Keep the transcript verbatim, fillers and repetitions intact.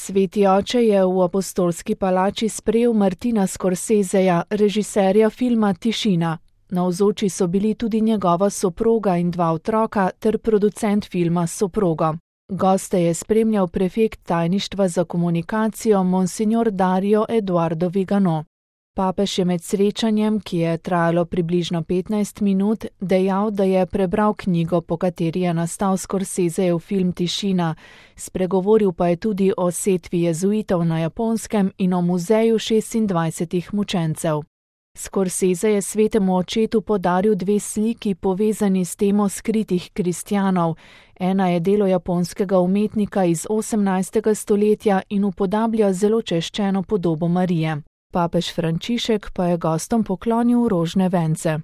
Sveti oče je v Apostolski palači sprejel Martina Scorseseja, režiserja filma Tišina. Navzoči so bili tudi njegova soproga in dva otroka ter producent filma s soprogo. Goste je spremljal prefekt tajništva za komunikacijo Monsignor Dario Eduardo Vigano. Papež je med srečanjem, ki je trajalo približno petnajst minut, dejal, da je prebral knjigo, po kateri je nastal Scorsesejev film Tišina, spregovoril pa je tudi o setvi jezuitov na Japonskem in o muzeju šestindvajsetih mučencev. Scorsese je svetemu očetu podaril dve sliki, povezani s temo skritih kristjanov. Ena je delo japonskega umetnika iz osemnajstega stoletja in upodablja zelo češčeno podobo Marije. Papež Frančišek pa je gostom poklonil rožne vence.